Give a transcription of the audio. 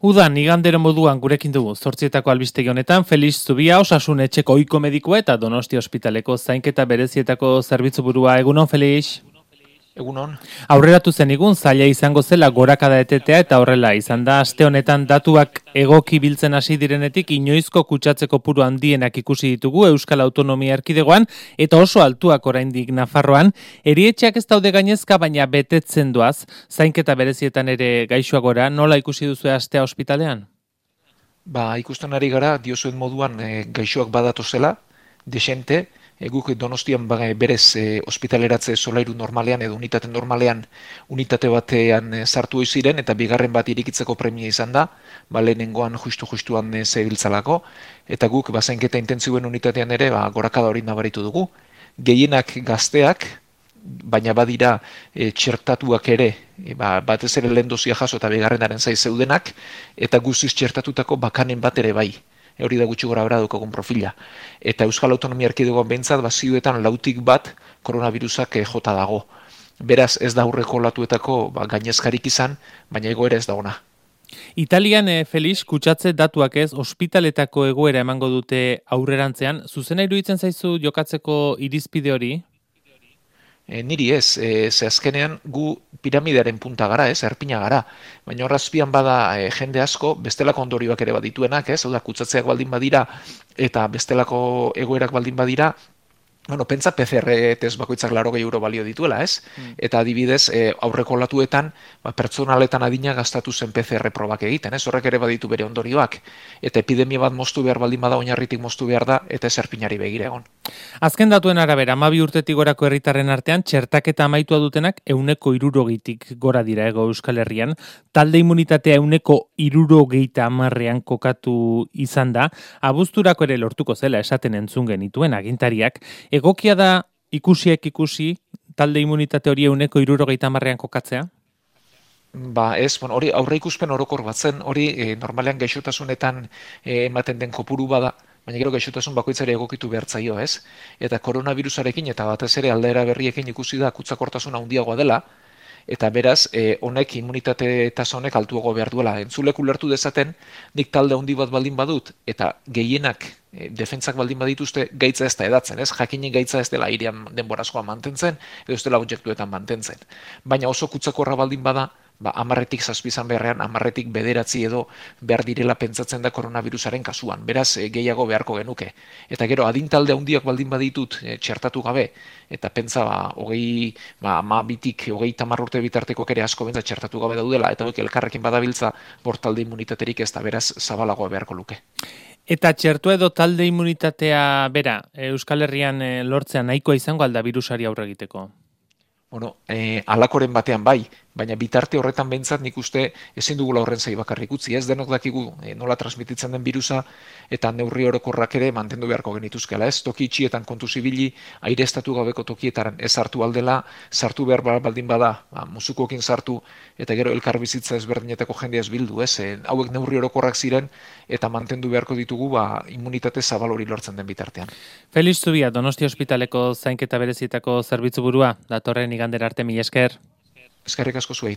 Udan, igandero moduan gurekin dugu, 8etako albistegi honetan, Felix Zubia, Osasun etxeko ohiko medikua eta Donostia ospitaleko zainketa berezietako zerbitzu burua. Egunon, Felix? Egunon. Aurreratu zenigun, zaila izango zela gorakada etetea eta horrela izan da. Aste honetan datuak egoki biltzen hasi direnetik, inoizko kutsatzeko puru handienak ikusi ditugu Euskal Autonomia Erkidegoan, eta oso altuak oraindik Nafarroan. Erietxeak ez daude gainezka, baina betetzen doaz, zainketa berezietan ere gaixoak gora, nola ikusi duzu astea ospitalean? Ikusten ari gara, diozuen moduan gaixoak badatu zela, desente, guk Donostian berez ospitaleratze solairu normalean edo unitate normalean unitate batean sartu ziren eta bigarren bat irikitzeko premia izan da, lehenengoan justuan zebiltzalako, eta guk zainketa intentzioen unitatean ere gorakada hori nabaritu dugu. Gehienak gazteak, baina badira txertatuak ere, batez ere lehen dozia jaso eta bigarrenaren zai zeudenak, eta guztiz txertatutako bakanen bat ere bai. Hori da gutxi gora bera dukogun profila. Eta Euskal Autonomia Erkidegoan behintzat, zioetan lautik bat koronavirusak jota dago. Beraz ez da aurreko olatuetako gainezkarik izan, baina egoera ez da ona. Italian, Felix, kutsatze datuak ez, ospitaletako egoera emango dute aurrerantzean. Zuzena iruditzen zaizu jokatzeko irizpide hori? Niri ez, ze azkenean gu piramidearen punta gara, erpina gara. Baina horrazpian bada jende asko, bestelako ondorioak ere badituenak, hau da, kutsatzeak baldin badira eta bestelako egoerak baldin badira, pentsa PCR test bakoitzak 80 euro balio dituela, ez? Eta adibidez, aurreko olatuetan, pertsonaletan adina gastatu zen PCR probak egiten, ez? Horrek ere baditu bere ondorioak. Eta epidemia bat moztu behar baldin bada, oinarritik moztu behar da, eta ez erpinari begira egon. Azken datuen arabera, 12 urtetik gorako herritarren artean, txertaketa amaitua dutenak 160tik gora dira Hego Euskal Herrian. Talde immunitatea 170 kokatu izan da. Abuzturako ere lortuko zela esaten entzun genituen agintariak. Egokia da ikusi, talde immunitate hori 170 kokatzea? Hori aurre ikuspen orokor bat zen, hori normalean gaixotasunetan ematen den kopuru bada, baina gero gaixotasun bakoitzare egokitu behartzaio, ez? Eta koronavirusarekin eta batez ere aldaera berriekin ikusi da kutsakortasuna handiagoa dela, eta beraz, honek immunitate tasa honek altuago behar duela. Entzulek ulertu dezaten, nik talde handi bat baldin badut, eta gehienak defentsak baldin badituzte gaitza ez da edatzen, ez? Jakinen gaitza ez dela airean denborazkoa mantentzen, edo ez dela objektuetan mantentzen. Baina oso kutsakorra baldin bada, 10tik 7 izan beharrean, 10tik 9 edo behar direla pentsatzen da koronavirusaren kasuan. Beraz, gehiago beharko genuke. Eta gero, adintalde handiak baldin baditut txertatu gabe, eta pentsa 12tik 30 urte bitartekoak ere asko bentsa txertatu gabe daudela, eta elkarrekin badabiltza bortalde immunitaterik ez da, beraz, zabalagoa beharko luke. Eta txertua edo talde immunitatea bera, Euskal Herrian lortzea nahikoa izango alda virusari aurre egiteko? Alakoren batean bai, baina bitarte horretan behintzat nik uste ezin dugula horren zai bakarrik utzi, ez denok dakigu nola transmititzen den virusa eta neurri orokorrak ere mantendu beharko genituzkela, ez? Toki itxietan kontu zibili, aireztatu gabeko tokietaren ez sartu aldela, sartu behar baldin bada, musukoekin sartu, eta gero elkarbizitza ezberdinetako jendea ez bildu, ez? Hauek neurri orokorrak ziren eta mantendu beharko ditugu immunitate zabal hori lortzen den bitartean. Felix Zubia, Donostia ospitaleko zainketa berezietako zerbitzu burua, datorren igandera arte, mila esker. Eskerrik asko zuei.